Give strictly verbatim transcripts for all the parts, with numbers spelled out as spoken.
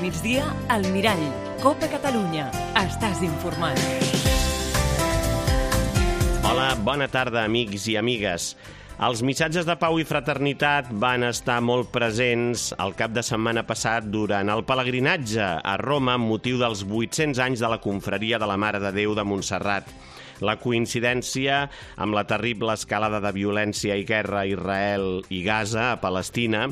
migdia, al Mirall. Copa Catalunya. Estàs informat. Hola, bona tarda, amics i amigues. Els missatges de pau i fraternitat van estar molt presents el cap de setmana passat durant el pelegrinatge a Roma amb motiu dels vuit-cents anys de la confraria de la Mare de Déu de Montserrat. La coincidència amb la terrible escalada de violència i guerra a Israel i Gaza, a Palestina,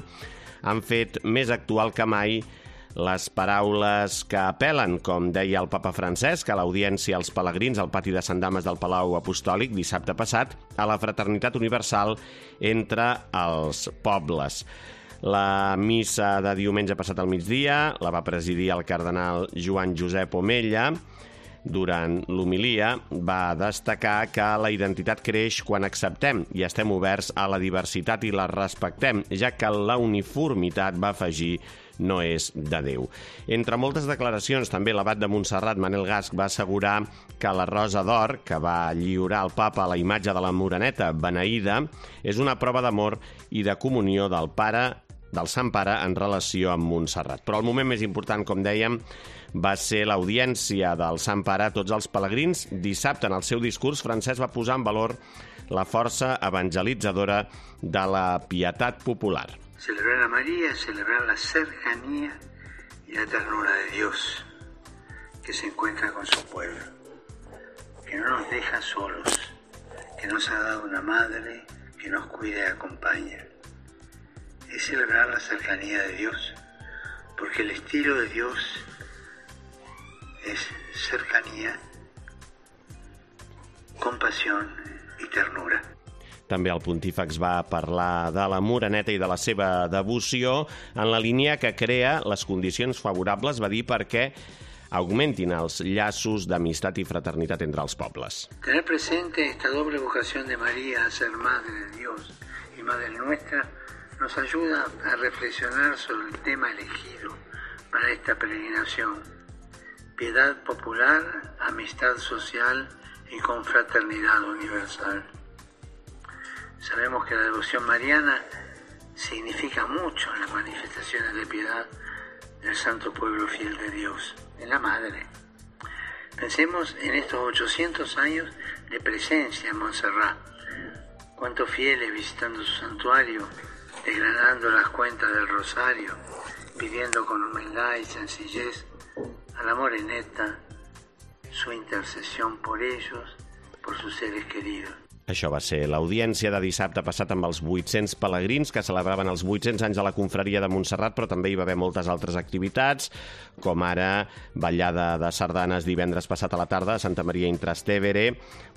han fet més actual que mai les paraules que apel·len, com deia el papa Francesc, a l'audiència als pelegrins al pati de Sant Dames del Palau Apostòlic dissabte passat, a la fraternitat universal entre els pobles. La missa de diumenge passat al migdia la va presidir el cardenal Joan Josep Omella. Durant l'homilia va destacar que la identitat creix quan acceptem i estem oberts a la diversitat i la respectem, ja que la uniformitat, va afegir, no és de Déu. Entre moltes declaracions, també l'abat de Montserrat, Manel Gasc, va assegurar que la rosa d'or que va lliurar el papa a la imatge de la Moreneta beneïda és una prova d'amor i de comunió del pare, del Sant Pare, en relació amb Montserrat. Però el moment més important, com dèiem, va ser l'audiència del Sant Pare a tots els pelegrins. Dissabte, en el seu discurs, Francesc va posar en valor la força evangelitzadora de la pietat popular. Celebrar a María es celebrar la cercanía y la ternura de Dios que se encuentra con su pueblo, que no nos deja solos, que nos ha dado una madre que nos cuida y acompaña. Es celebrar la cercanía de Dios, porque el estilo de Dios es cercanía, compasión y ternura. També el pontífex va parlar de la Moreneta i de la seva devoció en la línia que crea les condicions favorables, va dir, perquè augmentin els llaços d'amistat i fraternitat entre els pobles. Tener presente esta doble vocación de María a ser Madre de Dios y Madre nuestra nos ayuda a reflexionar sobre el tema elegido para esta peregrinación. Piedad popular, amistad social y confraternidad universal. Sabemos que la devoción mariana significa mucho en las manifestaciones de piedad del santo pueblo fiel de Dios, en la Madre. Pensemos en estos ochocientos años de presencia en Montserrat. Cuántos fieles visitando su santuario, desgranando las cuentas del rosario, pidiendo con humildad y sencillez a la Moreneta su intercesión por ellos, por sus seres queridos. Això va ser l'audiència de dissabte passat amb els vuit-cents pelegrins que celebraven els vuit-cents anys de la confraria de Montserrat, però també hi va haver moltes altres activitats, com ara ballada de sardanes divendres passat a la tarda a Santa Maria in Trastevere,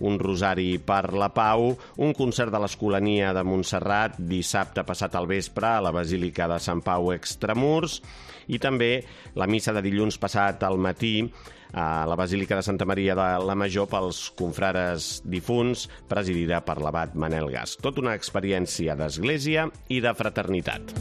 un rosari per la pau, un concert de l'Escolania de Montserrat dissabte passat al vespre a la Basílica de Sant Pau Extramurs, i també la missa de dilluns passat al matí a la Basílica de Santa Maria de la Major pels confrares difunts, presidida per l'abat Manel Gasc. Tot una experiència d'església i de fraternitat.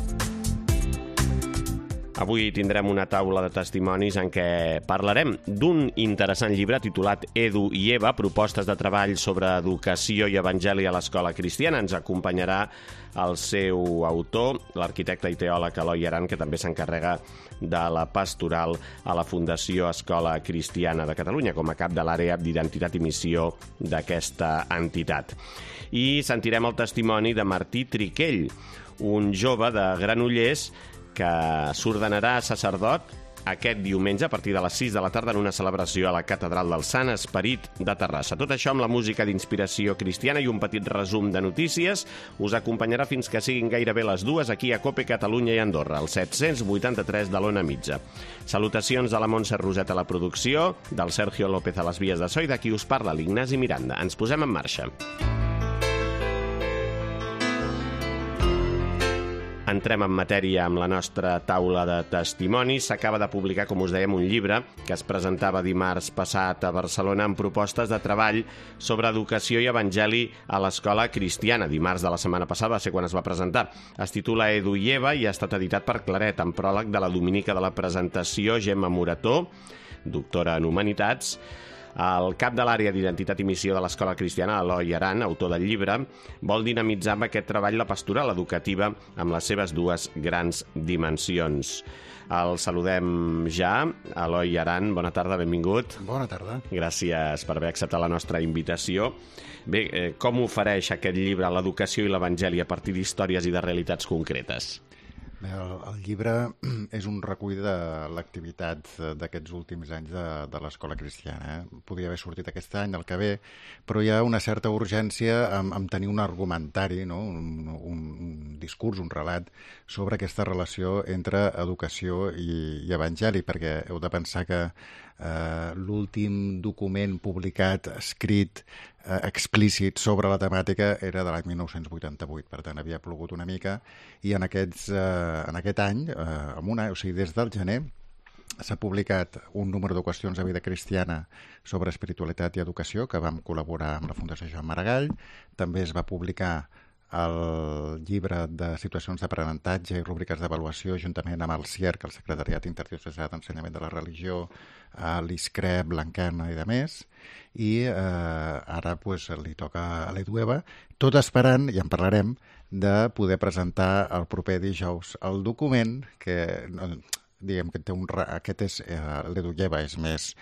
Avui tindrem una taula de testimonis en què parlarem d'un interessant llibre titulat Edu i Eva, propostes de treball sobre educació i evangeli a l'escola cristiana. Ens acompanyarà el seu autor, l'arquitecte i teòleg Eloi Aran, que també s'encarrega de la pastoral a la Fundació Escola Cristiana de Catalunya, com a cap de l'àrea d'identitat i missió d'aquesta entitat. I sentirem el testimoni de Martí Triquell, un jove de Granollers que s'ordenarà sacerdot aquest diumenge a partir de les sis de la tarda en una celebració a la Catedral del Sant Esperit de Terrassa. Tot això amb la música d'inspiració cristiana i un petit resum de notícies us acompanyarà fins que siguin gairebé les dues aquí a Cope Catalunya i Andorra, al set-cents vuitanta-tres de l'Ona Mitja. Salutacions de la Montse Roset a la producció, del Sergio López a les vies de so i de qui us parla, l'Ignasi Miranda. Ens posem en marxa. Entrem en matèria amb la nostra taula de testimonis. S'acaba de publicar, com us dèiem, un llibre que es presentava dimarts passat a Barcelona amb propostes de treball sobre educació i evangeli a l'escola cristiana. Dimarts de la setmana passada va ser quan es va presentar. Es titula Edu i Eva i ha estat editat per Claret, amb pròleg de la dominica de la presentació Gemma Morató, doctora en Humanitats, El cap de l'àrea d'Identitat i Missió de l'Escola Cristiana, Eloi Aran, autor del llibre, vol dinamitzar amb aquest treball la pastoral educativa amb les seves dues grans dimensions. El saludem ja. Eloi Aran, bona tarda, benvingut. Bona tarda. Gràcies per haver acceptat la nostra invitació. Bé, eh, com ofereix aquest llibre l'educació i l'evangeli a partir d'històries i de realitats concretes? Bé, el, el llibre és un recull de l'activitat d'aquests últims anys de, de l'Escola Cristiana. Eh? Podia haver sortit aquest any, el que ve, però hi ha una certa urgència en, en tenir un argumentari, no? un, un, un discurs, un relat sobre aquesta relació entre educació i, i evangeli, perquè heu de pensar que eh, l'últim document publicat, escrit, eh, explícit sobre la temàtica era de l'any mil nou-cents vuitanta-vuit, per tant havia plogut una mica, i en, aquests, eh, en aquest any, eh, en una, o sigui, des del gener, s'ha publicat un número de qüestions de vida cristiana sobre espiritualitat i educació, que vam col·laborar amb la Fundació Joan Maragall. També es va publicar el llibre de situacions d'aprenentatge i rúbriques d'avaluació juntament amb el C I E R C, el Secretariat Interdiocesà d'Ensenyament de la Religió, l'I S C R E, Blanquerna i de més, i eh, ara pues, li toca a l'Edueva, tot esperant, i en parlarem, de poder presentar el proper dijous el document que, diguem que té un... Aquest és, eh, l'Edueva és més...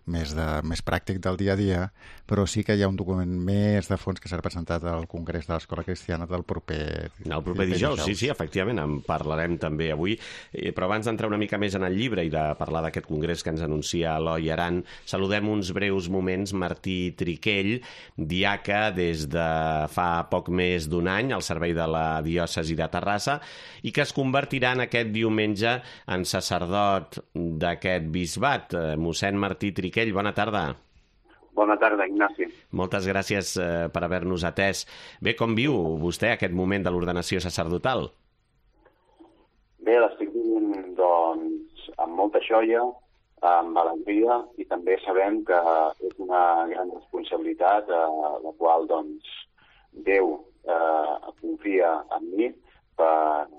Més, de, més pràctic del dia a dia, però sí que hi ha un document més de fons que serà presentat al Congrés de l'Escola Cristiana del proper... El proper dijous, sí, sí, efectivament, en parlarem també avui. Eh, però abans d'entrar una mica més en el llibre i de parlar d'aquest congrés que ens anuncia Eloi Aran, saludem uns breus moments Martí Triquell, diaca des de fa poc més d'un any al servei de la diòcesi de Terrassa i que es convertirà en aquest diumenge en sacerdot d'aquest bisbat. Eh, mossèn Martí Triquell, bona tarda. Bona tarda, Ignasi. Moltes gràcies eh, per haver-nos atès. Bé, com viu vostè aquest moment de l'ordenació sacerdotal? Bé, l'estic vivint, doncs, amb molta joia, amb alegria, i també sabem que és una gran responsabilitat eh, la qual, doncs, Déu eh, confia en mi per,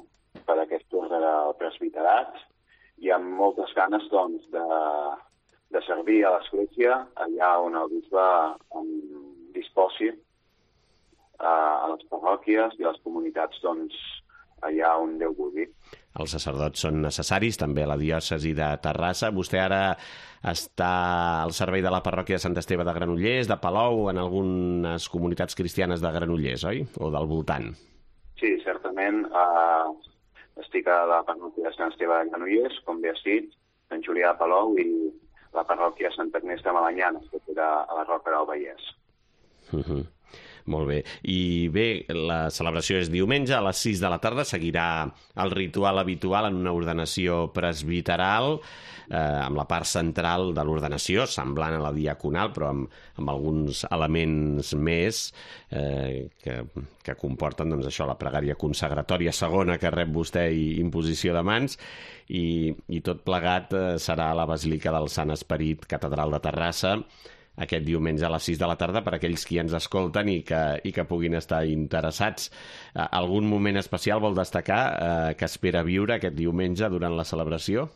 per aquest ordre del presbiterat, i amb moltes ganes, doncs, de de servir a l'Església allà on el bisbe em disposi, a les parròquies i a les comunitats, doncs, allà on Déu vulgui. Els sacerdots són necessaris, també a la diòcesi de Terrassa. Vostè ara està al servei de la parròquia de Sant Esteve de Granollers, de Palou, en algunes comunitats cristianes de Granollers, oi? O del voltant? Sí, certament. Eh, estic a la parròquia de Sant Esteve de Granollers, com bé has dit, Sant Julià de Palou, i la parròquia Sant Agnès de Malanyana, que queda a la Roca del Vallès. Uh -huh. Molt bé. I bé, la celebració és diumenge, a les sis de la tarda seguirà el ritual habitual en una ordenació presbiteral, eh, amb la part central de l'ordenació, semblant a la diaconal, però amb, amb alguns elements més eh, que, que comporten, doncs, això, la pregària consagratòria segona que rep vostè i imposició de mans, i, i tot plegat eh, serà a la Basílica del Sant Esperit, Catedral de Terrassa, aquest diumenge a les sis de la tarda per a aquells qui ens escolten i que, i que puguin estar interessats. Eh, algun moment especial vol destacar eh, que espera viure aquest diumenge durant la celebració?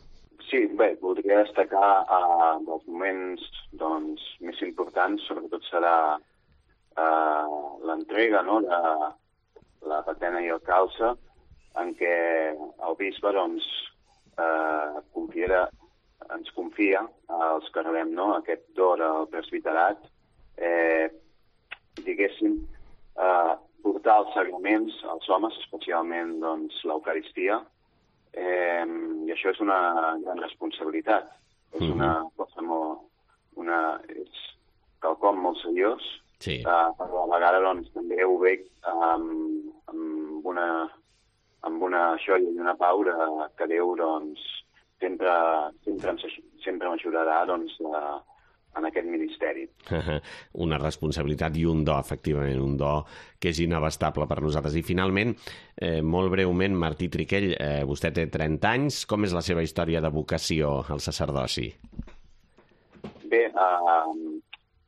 Sí, bé, voldria destacar eh, dels moments, doncs, més importants, sobretot serà eh, l'entrega, no?, de la patena i el calze, en què el bisbe, doncs, eh, confiarà, ens confia als que rebem, no?, aquest dor al presbiterat, eh, diguéssim, eh, portar els sagraments als homes, especialment, doncs, l'Eucaristia, eh, i això és una gran responsabilitat. És una cosa molt... Una, és quelcom molt seriós, sí. eh, però a la vegada, doncs, també ho veig amb, amb, una, amb una joia i una pau de, que Déu, doncs, sempre, sempre, sempre m'ajudarà, doncs, a, en aquest ministeri. Una responsabilitat i un do, efectivament, un do que és inabastable per nosaltres. I finalment, eh, molt breument, Martí Triquell, eh, vostè té trenta anys, com és la seva història de vocació al sacerdoci? Bé, eh,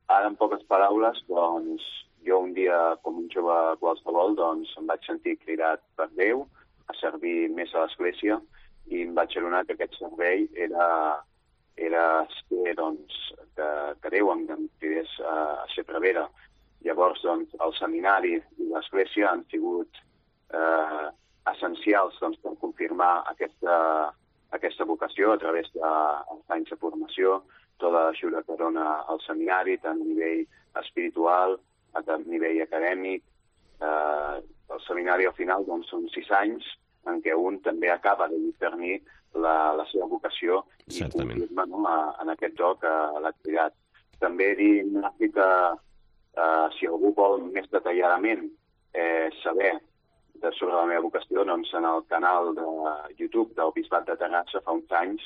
ara en poques paraules, doncs, jo un dia, com un jove qualsevol, doncs, em vaig sentir cridat per Déu a servir més a l'Església, i em vaig adonar que aquest servei era era ser, doncs, que, que Déu em cridés a, a ser prevere. Llavors, doncs, el seminari i l'església han sigut eh, essencials doncs, per confirmar aquesta, aquesta vocació a través dels anys de formació, tota l'ajuda que dona al seminari, tant a nivell espiritual, a nivell acadèmic. Eh, el seminari al final doncs, són sis anys en què un també acaba de discernir la, la seva vocació i confirma, no, a, en aquest joc a l'activitat. També dir, Ignaci, que eh, si algú vol més detalladament eh, saber de, sobre la meva vocació, doncs en el canal de YouTube del Bisbat de Terrassa fa uns anys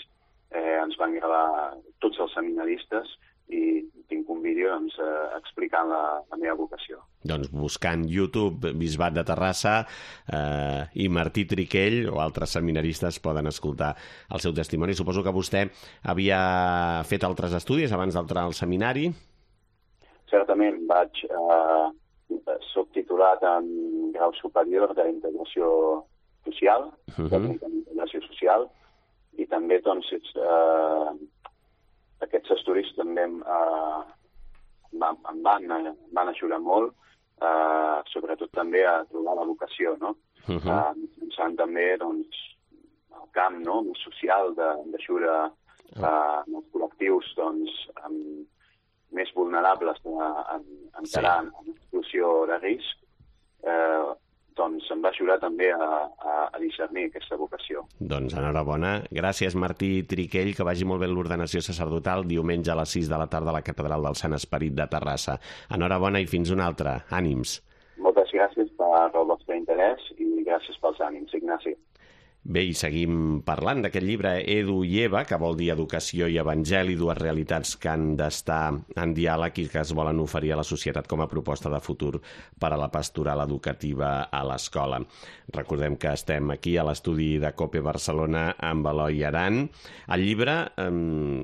eh, ens van gravar tots els seminaristes i tinc un vídeo doncs, eh, explicant la, la meva vocació. Doncs buscant YouTube Bisbat de Terrassa eh, i Martí Triquell o altres seminaristes poden escoltar el seu testimoni. Suposo que vostè havia fet altres estudis abans d'entrar al seminari? Certament, vaig... Eh, soc titulat en grau superior d'integració social, uh-huh. d'integració social, i també, doncs, eh, aquests estudis també eh, em van, van ajudar molt, eh, sobretot també a trobar la vocació, no? Uh-huh. Eh, pensant també, doncs, el camp, no?, més social d'ajuda uh-huh. eh, als col·lectius, doncs, amb més vulnerables a encarar sí. en situació de risc, eh, doncs em va ajudar també a, a, a discernir aquesta vocació. Doncs enhorabona. Gràcies, Martí Triquell, que vagi molt bé l'ordenació sacerdotal diumenge a les sis de la tarda a la Catedral del Sant Esperit de Terrassa. Enhorabona i fins una altra. Ànims. Moltes gràcies per el vostre interès i gràcies pels ànims, Ignasi. Bé, i seguim parlant d'aquest llibre Edu i Eva, que vol dir Educació i Evangeli, dues realitats que han d'estar en diàleg i que es volen oferir a la societat com a proposta de futur per a la pastoral educativa a l'escola. Recordem que estem aquí a l'estudi de COPE Barcelona amb Eloi Aran. El llibre, eh,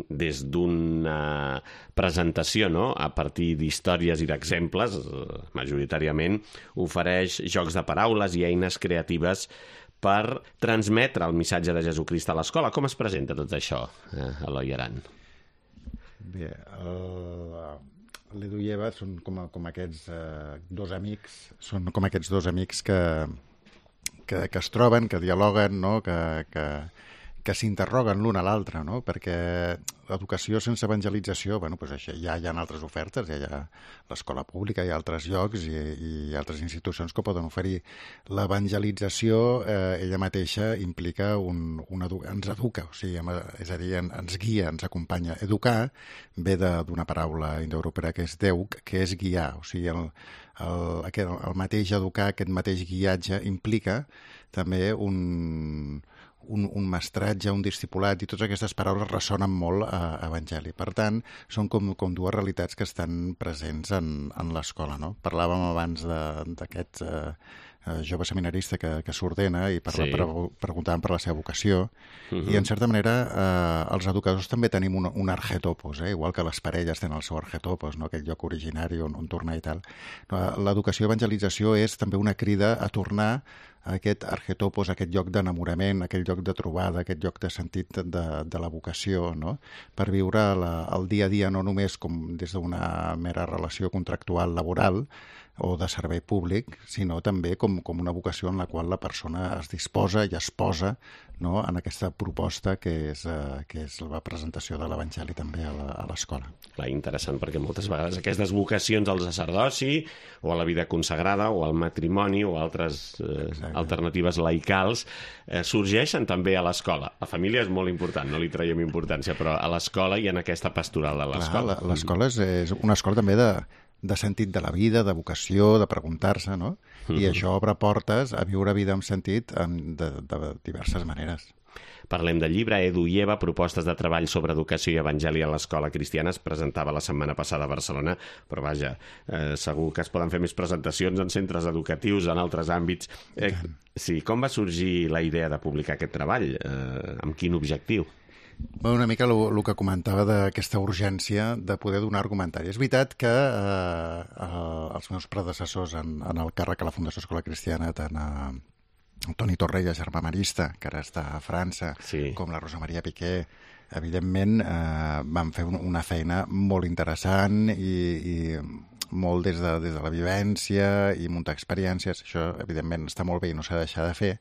des d'una presentació, no?, a partir d'històries i d'exemples, eh, majoritàriament, ofereix jocs de paraules i eines creatives per transmetre el missatge de Jesucrist a l'escola. Com es presenta tot això, eh, Eloi Aran? Bé, l'Edu i Eva són com, com aquests eh, dos amics, són com aquests dos amics que, que, que es troben, que dialoguen, no?, que, que, que s'interroguen l'un a l'altre, no?, perquè l'educació sense evangelització, bueno, doncs això, ja hi ha altres ofertes, ja hi ha l'escola pública, hi ha altres llocs i, i altres institucions que poden oferir. L'evangelització, eh, ella mateixa, implica un, un edu... ens educa, o sigui, és a dir, ens guia, ens acompanya. Educar ve d'una paraula indoeuropea que és deuc, que és guiar, o sigui, el, el, aquest, el mateix educar, aquest mateix guiatge implica també un... Un, un mestratge, un discipulat, i totes aquestes paraules ressonen molt a Evangeli. Per tant, són com, com dues realitats que estan presents en, en l'escola, no? Parlàvem abans d'aquest eh, jove seminarista que, que s'ordena i parla, sí. pre, preguntàvem per la seva vocació, uh-huh. i en certa manera eh, els educadors també tenim un, un argetopos, eh? Igual que les parelles tenen el seu argetopos, no? Aquell lloc originari on, on tornar i tal. L'educació i evangelització és també una crida a tornar a aquest argetopos, aquest lloc d'enamorament, aquell lloc de trobada, aquest lloc de sentit de, de la vocació, no?, per viure la, el dia a dia no només com des d'una mera relació contractual laboral o de servei públic, sinó també com, com una vocació en la qual la persona es disposa i es posa, no?, en aquesta proposta que és, eh, que és la presentació de l'Evangeli també a l'escola. Clar, interessant, perquè moltes vegades aquestes vocacions al sacerdoci o a la vida consagrada o al matrimoni o altres eh, alternatives laicals eh, sorgeixen també a l'escola. La família és molt important, no li traiem importància, però a l'escola i en aquesta pastoral de l'escola. Clar, l'escola és, és una escola també de de sentit de la vida, de vocació, de preguntar-se, no? I uh-huh. això obre portes a viure vida amb sentit en, de, de diverses maneres. Parlem del llibre Edu i Eva, propostes de treball sobre educació i evangeli a l'escola cristiana. Es presentava la setmana passada a Barcelona, però vaja, eh, segur que es poden fer més presentacions en centres educatius, en altres àmbits. Eh, sí, com va sorgir la idea de publicar aquest treball? Eh, amb quin objectiu? Bé, una mica el que comentava d'aquesta urgència de poder donar argumentari. És veritat que eh, els meus predecessors en, en el càrrec a la Fundació Escola Cristiana, tant a Toni Torrella, germà marista, que ara està a França, sí. com la Rosa Maria Piqué, evidentment, eh, van fer una feina molt interessant i, i molt des de, des de la vivència i muntar experiències. Això, evidentment, està molt bé i no s'ha de deixar de fer,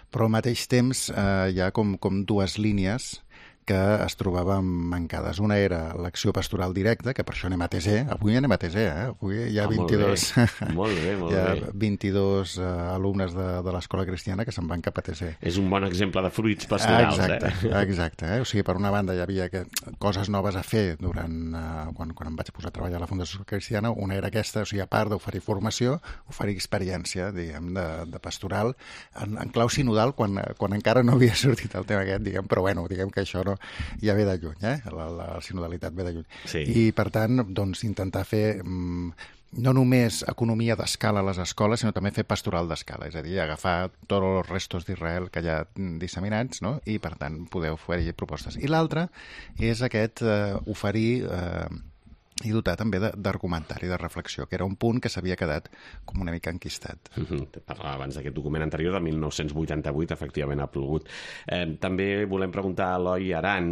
però al mateix temps eh, hi ha com, com dues línies que es trobaven mancades. Una era l'acció pastoral directa, que per això anem a T S E. Avui anem a T S E, eh? Avui hi ha ah, vint-i-dos, molt bé, molt bé, molt hi ha bé. vint-i-dos uh, alumnes de, de l'escola cristiana que se'n van cap a T S E. És un bon exemple de fruits pastorals, exacte, eh? Exacte, eh? O sigui, per una banda hi havia que, coses noves a fer durant, uh, quan, quan em vaig posar a treballar a la Fundació Cristiana. Una era aquesta, o sigui, a part d'oferir formació, oferir experiència, diguem, de, de pastoral, en, en clau sinodal, quan, quan encara no havia sortit el tema aquest, diguem, però bueno, diguem que això no ja ve de lluny, eh? La, la sinodalitat ve de lluny. Sí. I, per tant, doncs, intentar fer mm, no només economia d'escala a les escoles, sinó també fer pastoral d'escala, és a dir, agafar tots els restos d'Israel que hi ha disseminats, no? I, per tant, poder oferir propostes. I l'altre és aquest eh, oferir... Eh, i dotar també d'argumentari, de reflexió, que era un punt que s'havia quedat com una mica enquistat. Mm-hmm. Parlava abans d'aquest document anterior, del mil nou-cents vuitanta-vuit, efectivament ha plogut. Eh, també volem preguntar a Eloi Aran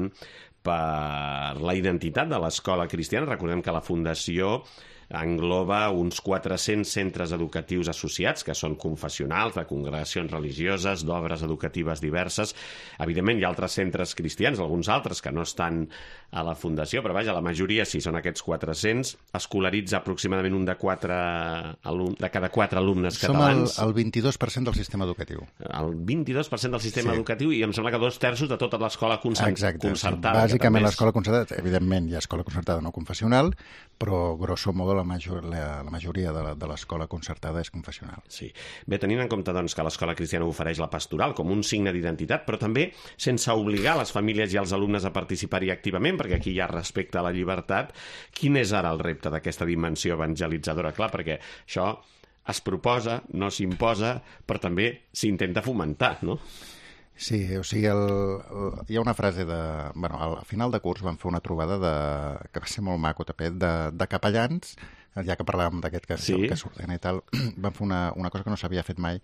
per la identitat de l'escola cristiana. Recordem que la Fundació engloba uns quatre-cents centres educatius associats, que són confessionals, de congregacions religioses, d'obres educatives diverses. Evidentment, hi ha altres centres cristians, alguns altres que no estan a la Fundació, però vaja, la majoria, si són aquests quatre-cents, escolaritza aproximadament un de, quatre alum... de cada quatre alumnes Som catalans. Som el, el vint-i-dos per cent del sistema educatiu. El vint-i-dos per cent del sistema sí. educatiu, i em sembla que dos terços de tota l'escola concert... Exacte. concertada. Bàsicament l'escola concertada, evidentment hi ha escola concertada no confessional, però grosso modo la, major, la, la majoria de, de l'escola concertada és confessional. Sí. Bé, tenint en compte doncs, que l'escola cristiana ofereix la pastoral com un signe d'identitat, però també sense obligar les famílies i els alumnes a participar-hi activament, perquè aquí hi ha respecte a la llibertat, quin és ara el repte d'aquesta dimensió evangelitzadora? Clar, perquè això es proposa, no s'imposa, però també s'intenta fomentar, no? Sí, o sigui, el, el, hi ha una frase de... Bueno, al final de curs vam fer una trobada de, que va ser molt maco, també, de, de capellans, ja que parlàvem d'aquest que, sí. que s'ordena i tal, vam fer una, una cosa que no s'havia fet mai,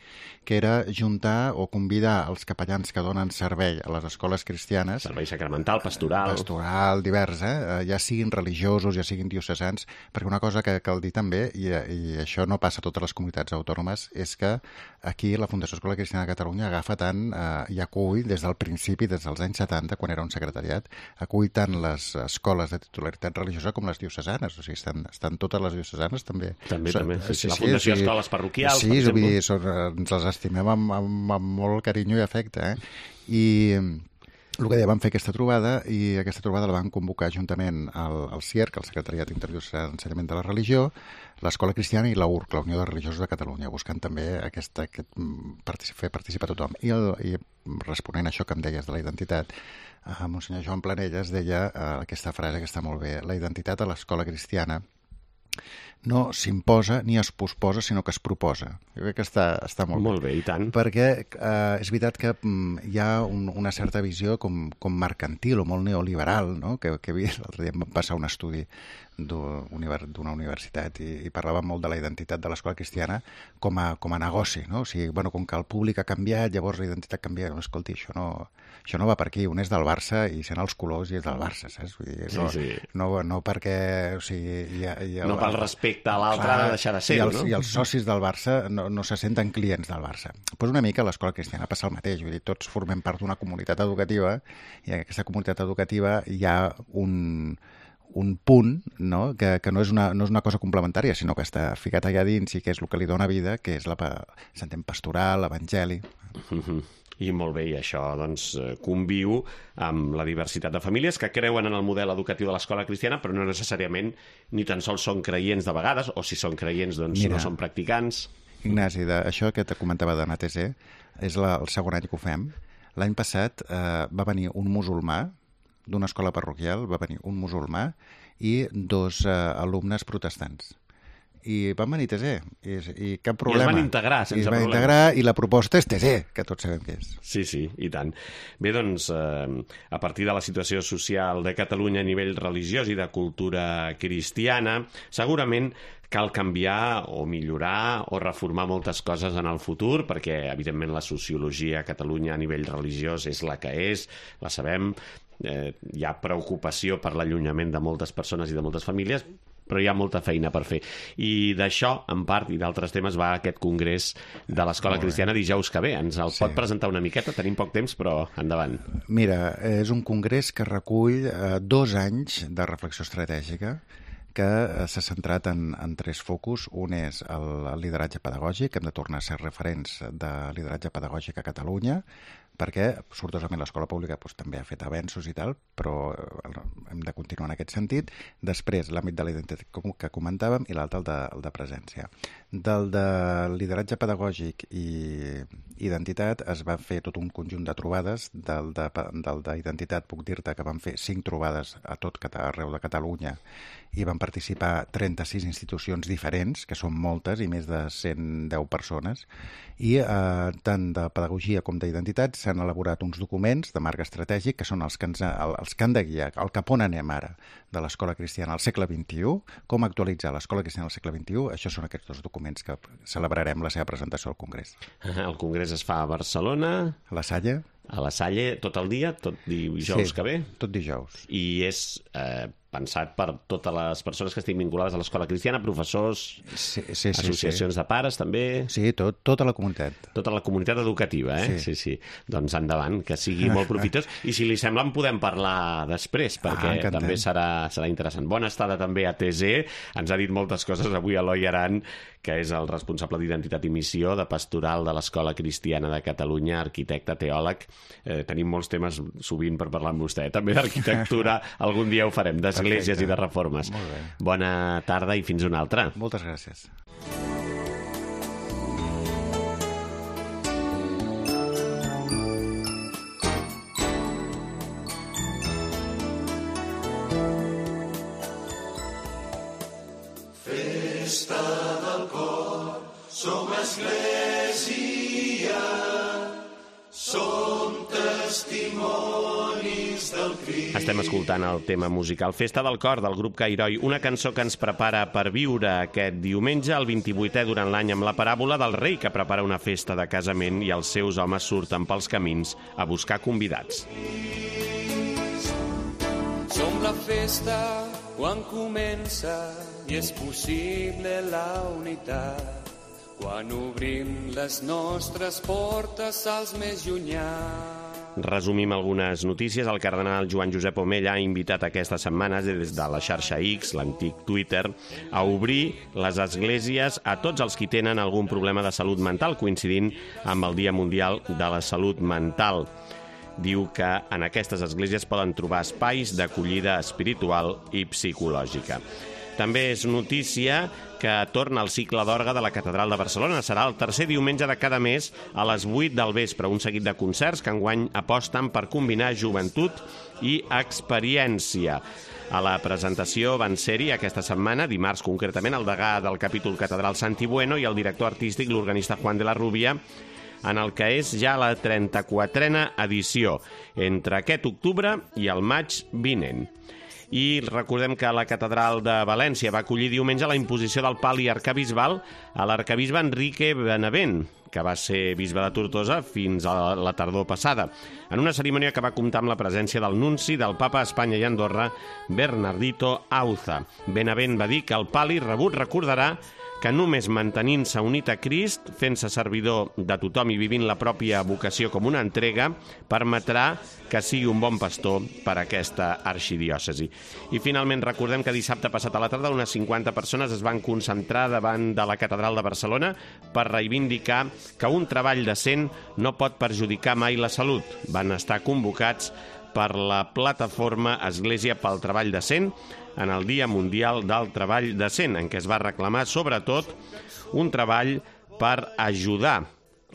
que era juntar o convidar els capellans que donen servei a les escoles cristianes... Servei sacramental, pastoral... Pastoral, divers, eh? Ja siguin religiosos, ja siguin diocesans, perquè una cosa que cal dir també, i, i això no passa a totes les comunitats autònomes, és que aquí la Fundació Escola Cristiana de Catalunya agafa tant eh, i acull des del principi, des dels anys setanta, quan era un secretariat, acull tant les escoles de titularitat religiosa com les diocesanes, o sigui, estan, estan totes les diocesanes també. També, són, també. Sí, sí, la sí, Fundació sí, Escoles Parroquials, sí, per exemple. Vull dir, són, ens les estimem amb, amb, amb molt carinyo i afecte, eh? I el que deia, vam fer aquesta trobada i aquesta trobada la van convocar juntament al, al C I E R C, el Secretariat Interdiocesà d'Ensenyament de la Religió, l'Escola Cristiana i la U R C, la Unió de Religiosos de Catalunya, buscant també aquesta, aquest, particip, fer participar tothom. I, el, I responent a això que em deies de la identitat, eh, Monsenyor Joan Planelles deia eh, aquesta frase que està molt bé: la identitat a l'escola cristiana no s'imposa ni es posposa, sinó que es proposa. Jo crec que està, està molt, molt bé. Molt bé, i tant. Perquè eh, és veritat que mm, hi ha un, una certa visió com, com mercantil o molt neoliberal, no? que, que l'altre dia em va passar un estudi d'una universitat i, i parlava molt de la identitat de l'escola cristiana com a, com a negoci, no? O sigui, bueno, com que el públic ha canviat, llavors la identitat canvia. No, escolti, això no, això no va per aquí. Un és del Barça i sent els colors i és del Barça, saps? Vull dir, no, sí, sí. no, no perquè... O sigui, hi ha, hi ha, no pel respecte a l'altre ha de deixar de ser-ho, no? I els socis del Barça no, no se senten clients del Barça. Pues una mica l'escola cristiana passa el mateix. Vull dir, tots formem part d'una comunitat educativa i en aquesta comunitat educativa hi ha un... un punt, no? Que, que no, és una, no és una cosa complementària, sinó que està ficat allà dins i que és el que li dona vida, que és la, s'entén pastoral, evangeli. Mm-hmm. I molt bé, i això doncs, conviu amb la diversitat de famílies que creuen en el model educatiu de l'escola cristiana, però no necessàriament ni tan sols són creients de vegades, o si són creients doncs Mira, no són practicants. Ignasi, de, això que te comentava d'anar a T S E és la, el segon any que ho fem. L'any passat eh, va venir un musulmà d'una escola parroquial, va venir un musulmà i dos eh, alumnes protestants. I van venir a T S E, i, i cap problema. I es van integrar sense I es van problema. integrar i la proposta és T S E, que tots sabem què és. Sí, sí, i tant. Bé, doncs, eh, a partir de la situació social de Catalunya a nivell religiós i de cultura cristiana, segurament cal canviar o millorar o reformar moltes coses en el futur, perquè, evidentment, la sociologia a Catalunya a nivell religiós és la que és, la sabem, eh, hi ha preocupació per l'allunyament de moltes persones i de moltes famílies, però hi ha molta feina per fer. I d'això, en part, i d'altres temes, va aquest congrés de l'Escola Cristiana dijous que ve. Ens el sí. pot presentar una miqueta? Tenim poc temps, però endavant. Mira, és un congrés que recull eh, dos anys de reflexió estratègica que s'ha centrat en, en tres focus. Un és el, el lideratge pedagògic, hem de tornar a ser referents de lideratge pedagògic a Catalunya, perquè, sortosament, l'escola pública doncs, també ha fet avenços i tal, però hem de continuar en aquest sentit. Després, l'àmbit de la identitat que comentàvem i l'altre, el, de, el de presència. Del de lideratge pedagògic i identitat es va fer tot un conjunt de trobades. Del d'identitat puc dir-te que van fer cinc trobades a tot arreu de Catalunya i van participar trenta-sis institucions diferents, que són moltes, i més de cent deu persones. I eh, tant de pedagogia com d'identitat s'han elaborat uns documents de marc estratègic que són els que, ens, els que han de guiar el cap on anem ara de l'escola cristiana al segle vint-i-u, com actualitzar l'escola cristiana al segle vint-i-u. Això són aquests dos documents que celebrarem la seva presentació al Congrés. El Congrés es fa a Barcelona. A la Salle. A la Salle tot el dia, tot dijous sí, que ve? Tot dijous. I és eh, pensat per totes les persones que estiguin vinculades a l'escola cristiana, professors, sí, sí, sí, associacions sí. de pares, també? Sí, tot, tota la comunitat. Tota la comunitat educativa, eh? Sí, sí. sí. Doncs endavant, que sigui molt profitós. I si li sembla en podem parlar després, perquè ah, també serà, serà interessant. Bona estada també a T Z. Ens ha dit moltes coses avui Eloi Aran, que és el responsable d'Identitat i Missió de Pastoral de l'Escola Cristiana de Catalunya, arquitecte, teòleg. Eh, tenim molts temes sovint per parlar amb vostè. També d'arquitectura, algun dia ho farem, d'esglésies Perfecte. I de reformes. Bona tarda i fins una altra. Moltes gràcies. Festa del cor, som església, som testimonis del Crist. Estem escoltant el tema musical Festa del cor del grup Cairoi, una cançó que ens prepara per viure aquest diumenge, el vint-i-vuitè durant l'any, amb la paràbola del rei que prepara una festa de casament i els seus homes surten pels camins a buscar convidats. Som la festa quan comença i és possible la unitat, quan obrim les nostres portes als més llunyans. Resumim algunes notícies. El cardenal Joan Josep Omella ha invitat aquesta setmana des de la xarxa X, l'antic Twitter, a obrir les esglésies a tots els qui tenen algun problema de salut mental, coincidint amb el Dia Mundial de la Salut Mental. Diu que en aquestes esglésies poden trobar espais d'acollida espiritual i psicològica. També és notícia que torna el cicle d'orgue de la Catedral de Barcelona. Serà el tercer diumenge de cada mes a les vuit del vespre. Un seguit de concerts que enguany aposten per combinar joventut i experiència. A la presentació van ser-hi aquesta setmana, dimarts concretament, el degà del capítol catedral Santi Bueno i el director artístic, l'organista Juan de la Rubia, en el que és ja la trenta-quatrena edició, entre aquest octubre i el maig vinent. I recordem que la Catedral de València va acollir diumenge la imposició del pal i arcabisbal a l'arcabisbe Enrique Benavent, que va ser bisbe de Tortosa fins a la tardor passada, en una cerimònia que va comptar amb la presència del nunci del Papa a Espanya i Andorra, Bernardito Auza. Benavent va dir que el pali rebut recordarà que només mantenint-se unit a Crist, fent-se servidor de tothom i vivint la pròpia vocació com una entrega, permetrà que sigui un bon pastor per a aquesta arxidiòcesi. I finalment recordem que dissabte passat a la tarda unes cinquanta persones es van concentrar davant de la Catedral de Barcelona per reivindicar que un treball decent no pot perjudicar mai la salut. Van estar convocats per la plataforma Església pel Treball Decent en el Dia Mundial del Treball Decent, en què es va reclamar sobretot un treball per ajudar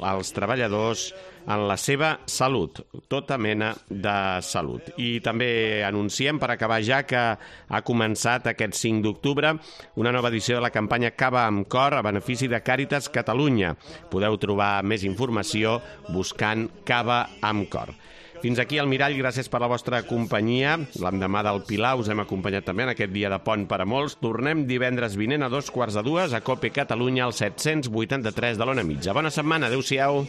els treballadors en la seva salut, tota mena de salut. I també anunciem, per acabar ja, que ha començat aquest cinc d'octubre una nova edició de la campanya Cava amb Cor a benefici de Càritas Catalunya. Podeu trobar més informació buscant Cava amb Cor. Fins aquí el Mirall, gràcies per la vostra companyia. L'endemà del Pilar us hem acompanyat també en aquest dia de pont per a molts. Tornem divendres vinent a dos quarts de dues a Cope Catalunya al set-cents vuitanta-tres de l'Ona Mitja. Bona setmana, adéu-siau.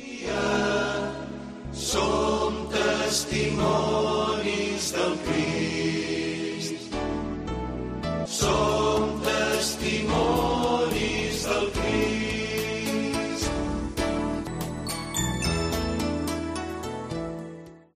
Som testimonis del Crist.